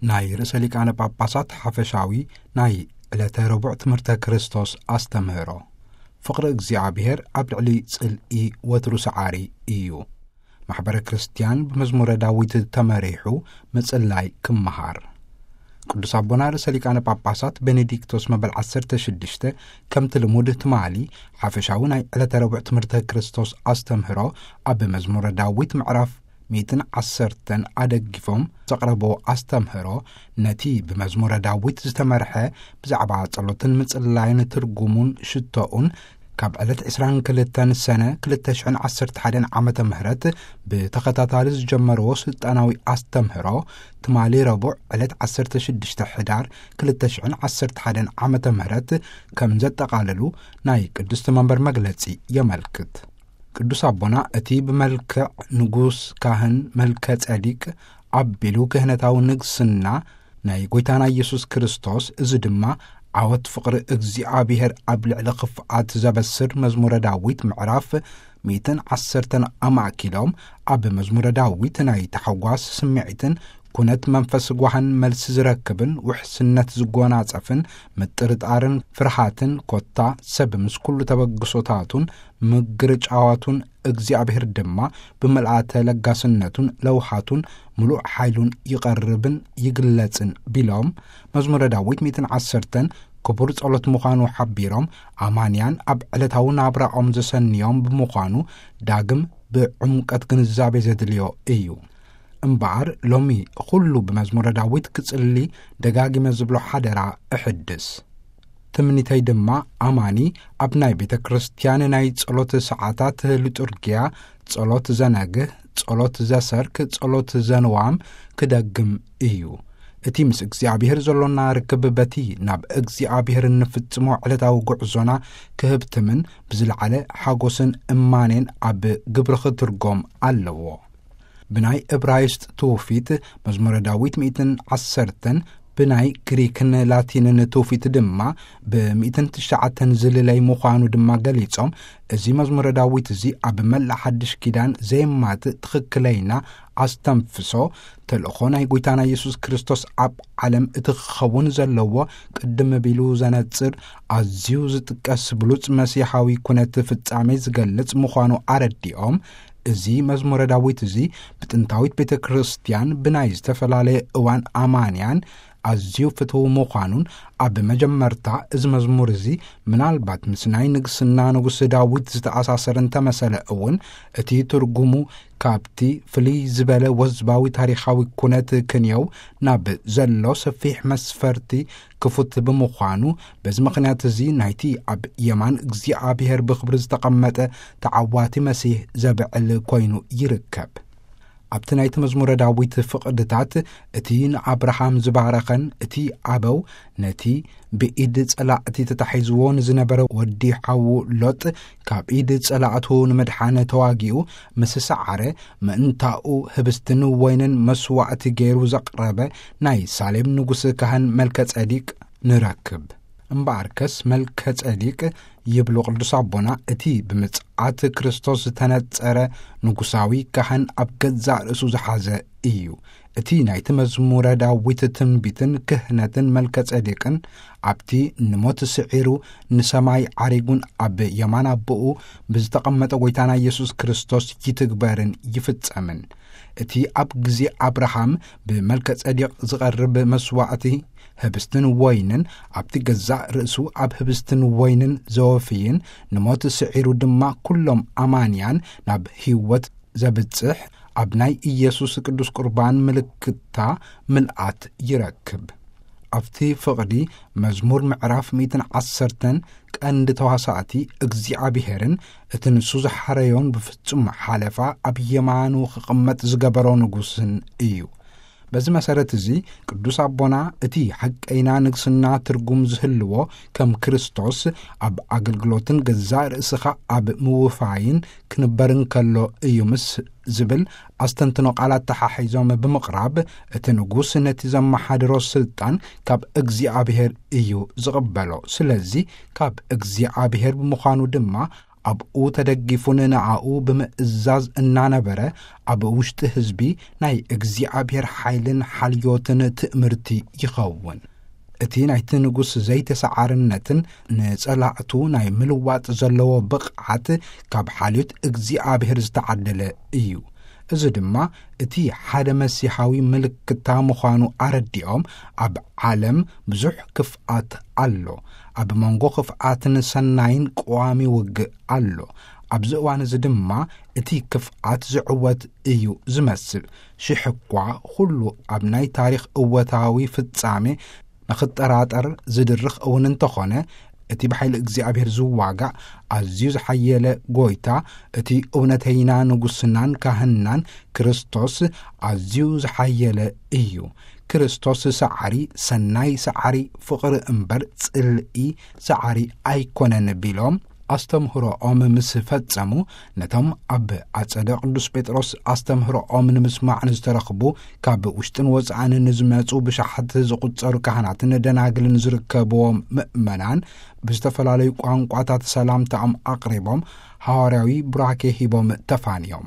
ናይ ርእሰ ሊቃነ ጳጳሳት ሓፈሻዊ ናይ ዕለተ ረቡዕ ትምህርተ ክርስቶስ ኣስተምህሮ። ፍቕሪ እግዚኣብሔር ኣብ ልዕሊ ጽልኢ ወትሩ ሰዓሪ እዩ። ማሕበረ ክርስቲያን ብመዝሙረ ዳዊት ተመሪሑ ምጽላይ ክመሃር። ቅዱስ ኣቦና ርእሰ ሊቃነ ጳጳሳት ቤኔዲክቶስ መበል ዓሰርተ ሽዱሽተ ከምቲ ልሙድ ትማሊ ሓፈሻዊ ናይ ዕለተ ረቡዕ ትምህርተ ክርስቶስ ኣስተምህሮ ኣብ መዝሙረ ዳዊት ምዕራፍ ሚእትን ዓሰርተን ኣደጊፎም ዘቕረብዎ ኣስተምህሮ፣ ነቲ ብመዝሙረ ዳዊት ዝተመርሐ ብዛዕባ ጸሎትን ምጽላይን ትርጉሙን ሽቶኡን፣ ካብ ዕለት ዕስራን ክልተን ሰነ ክልተ ሽሕን ዓሰርተ ሓደን ዓመተ ምህረት ብተኸታታሊ ዝጀመርዎ ስልጣናዊ ኣስተምህሮ፣ ትማሊ ረቡዕ ዕለት ዓሰርተ ሽዱሽተ ሕዳር ክልተ ሽሕን ዓሰርተ ሓደን ዓመተ ምህረት ከም ዘጠቓለሉ ናይ ቅድስቲ መንበር መግለጺ የመልክት። ቅዱስ ኣቦና እቲ ብመልክዕ ንጉስ ካህን መልከ ጼዴቅ ኣቢሉ ክህነታዊ ንግስና ናይ ጐይታና ኢየሱስ ክርስቶስ፣ እዚ ድማ ዓወት ፍቕሪ እግዚኣብሔር ኣብ ልዕሊ ክፍኣት ዘበስር መዝሙረ ዳዊት ምዕራፍ ሚእትን ዓሰርተን ኣማእኪሎም፣ ኣብ መዝሙረ ዳዊት ናይ ታሕጓስ ስምዒትን ኩነት መንፈስ ጓህን መልሲ ዝረክብን ውሕስነት ዝጎናጸፍን ምጥርጣርን ፍርሃትን ኮታ ሰብ ምስ ኩሉ ተበግሶታቱን ምግርጫዋቱን እግዚኣብሔር ድማ ብምልኣተ ለጋስነቱን ለውሃቱን ምሉእ ሓይሉን ይቐርብን ይግለጽን ቢሎም፣ መዝሙረ ዳዊት ሚእትን ዓሰርተን ክቡር ጸሎት ምዃኑ ሓቢሮም፣ ኣማንያን ኣብ ዕለታዊ ናብራኦም ዘሰንዮም ብምዃኑ ዳግም ብዕምቀት ግንዛቤ ዘድልዮ እዩ። እምበኣር ሎሚ ኩሉ ብመዝሙረ ዳዊት ክጽሊ ደጋጊመ ዝብሎ ሓደራ እሕድስ። ትምኒተይ ድማ ኣማኒ ኣብ ናይ ቤተ ክርስቲያን ናይ ጸሎት ሰዓታት ሊጡርጊያ ጸሎት ዘነግህ፣ ጸሎት ዘሰርክ፣ ጸሎት ዘንዋም ክደግም እዩ። እቲ ምስ እግዚኣብሔር ዘሎና ርክብ በቲ ናብ እግዚኣብሔር እንፍጽሞ ዕለታዊ ጉዕዞና ክህብትምን ብዝለዓለ ሓጎስን እማኔን ኣብ ግብሪ ክትርጎም ኣለዎ። ብናይ እብራይስጥ ትውፊት መዝሙረ ዳዊት ሚእትን ዓሰርተን፣ ብናይ ግሪክን ላቲንን ትውፊት ድማ ብሚእትን ትሽዓተን ዝልለይ ምዃኑ ድማ ገሊጾም፣ እዚ መዝሙረ ዳዊት እዚ ኣብ መላእ ሓድሽ ኪዳን ዘየማትእ ትኽክለይና ኣስተንፍሶ ተልእኾ ናይ ጐይታና ኢየሱስ ክርስቶስ ኣብ ዓለም እቲ ክኸውን ዘለዎ ቅድም ቢሉ ዘነጽር ኣዝዩ ዝጥቀስ ብሉጽ መሲሓዊ ኩነት ፍጻሜ ዝገልጽ ምዃኑ ኣረዲኦም፣ እዚ መዝሙረ ዳዊት እዚ ብጥንታዊት ቤተ ክርስቲያን ብናይ ዝተፈላለየ እዋን ኣማንያን ኣዝዩ ፍትው ምዃኑን፣ ኣብ መጀመርታ እዚ መዝሙር እዚ ምናልባት ምስ ናይ ንግስና ንጉስ ዳዊት ዝተኣሳሰረ እንተመሰለ እውን፣ እቲ ትርጉሙ ካብቲ ፍልይ ዝበለ ወዝባዊ ታሪኻዊ ኩነት ክንየው ናብ ዘሎ ሰፊሕ መስፈርቲ ክፉት ብምዃኑ፣ በዚ ምኽንያት እዚ ናይቲ ኣብ የማን እግዚኣብሔር ብኽብሪ ዝተቐመጠ ተዓዋቲ መሲህ ዘብዕል ኮይኑ ይርከብ። ኣብቲ ናይቲ መዝሙረ ዳዊት ፍቕድታት፣ እቲ ንኣብርሃም ዝባረኸን እቲ ኣበው ነቲ ብኢድ ጸላእቲ ተታሒዝዎ ንዝነበረ ወዲ ሓዉ ሎጥ ካብ ኢድ ጸላእቱ ንምድሓን ተዋጊኡ ምስ ሰዓረ፣ ምእንታኡ ህብስትን ወይንን መስዋእቲ ገይሩ ዘቕረበ ናይ ሳሌም ንጉስ ካህን መልከ ጼዴቅ ንረክብ። እምበኣርከስ መልከ ጼዴቅ፣ ይብሉ ቅዱስ ኣቦና፣ እቲ ብምጽኣት ክርስቶስ ዝተነጸረ ንጉሳዊ ካህን ኣብ ገዛእ ርእሱ ዝሓዘ እዩ። እቲ ናይቲ መዝሙረ ዳዊት ትንቢትን ክህነትን መልከ ጼዴቅን ኣብቲ ንሞት ስዒሩ ንሰማይ ዓሪጉን ኣብ የማን ኣቦኡ ብዝተቐመጠ ጐይታና ኢየሱስ ክርስቶስ ይትግበርን ይፍጸምን። እቲ ኣብ ግዜ ኣብርሃም ብመልከ ጼዴቅ ዝቐርብ መስዋእቲ ህብስትን ወይንን ኣብቲ ገዛእ ርእሱ ኣብ ህብስትን ወይንን ዘወፍይን ንሞት ስዒሩ ድማ ኩሎም ኣማንያን ናብ ህይወት ዘብጽሕ ኣብ ናይ ኢየሱስ ቅዱስ ቁርባን ምልክታ ምልኣት ይረክብ። ኣብቲ ፍቕዲ መዝሙር ምዕራፍ ሚእትን ዓሰርተን ቀንዲ ተዋሳእቲ እግዚኣብሔርን እቲ ንሱ ዝሓረዮን ብፍጹም ሓለፋ ኣብ የማኑ ክቕመጥ ዝገበሮ ንጉስን እዩ። በዚ መሰረት እዚ ቅዱስ ኣቦና እቲ ሓቀይና ንግስና ትርጉም ዝህልዎ ከም ክርስቶስ ኣብ ኣገልግሎትን ገዛእ ርእስኻ ኣብ ምውፋይን ክንበር እንከሎ እዩ ምስ ዝብል ኣስተንትኖ ቃላት ተሓሒዞም ብምቕራብ፣ እቲ ንጉስ ነቲ ዘመሓድሮ ስልጣን ካብ እግዚኣብሔር እዩ ዝቕበሎ። ስለዚ ካብ እግዚኣብሔር ብምዃኑ ድማ ኣብኡ ተደጊፉን ንዓኡ ብምእዛዝ እናነበረ፣ ኣብ ውሽጢ ህዝቢ ናይ እግዚኣብሔር ሓይልን ሓልዮትን ትእምርቲ ይኸውን። እቲ ናይቲ ንጉስ ዘይተሰዓርነትን ንጸላእቱ ናይ ምልዋጥ ዘለዎ ብቕዓት ካብ ሓልዮት እግዚኣብሔር ዝተዓደለ እዩ። እዚ ድማ እቲ ሓደ መሲሓዊ ምልክታ ምዃኑ ኣረዲኦም፣ ኣብ ዓለም ብዙሕ ክፍኣት ኣሎ። ኣብ መንጎ ክፍኣትን ሰናይን ቀዋሚ ውግእ ኣሎ። ኣብዚ እዋን እዚ ድማ እቲ ክፍኣት ዝዕወት እዩ ዝመስል። ሽሕ እኳ ኩሉ ኣብ ናይ ታሪኽ እወታዊ ፍጻሜ ንኽጠራጠር ዝድርኽ እውን እንተኾነ፣ እቲ ብሓይሊ እግዚኣብሔር ዝዋጋእ ኣዝዩ ዝሓየለ ጎይታ፣ እቲ እውነተይና ንጉስናን ካህንናን ክርስቶስ ኣዝዩ ዝሓየለ እዩ። ክርስቶስ ሰዓሪ፣ ሰናይ ሰዓሪ፣ ፍቕሪ እምበር ጽልኢ ሰዓሪ ኣይኮነን ቢሎም ኣስተምህሮኦም ምስ ፈጸሙ፣ ነቶም ኣብ ኣጸደ ቅዱስ ጴጥሮስ ኣስተምህሮኦም ንምስማዕ ንዝተረኽቡ ካብ ውሽጥን ወጻእን ንዝመጹ ብሽሓት ዝቑጸሩ ካህናትን ደናግልን ዝርከብዎም ምእመናን ብዝተፈላለዩ ቋንቋታት ሰላምታኦም ኣቕሪቦም፣ ሃዋርያዊ ቡራኬ ሂቦም ተፋንዮም።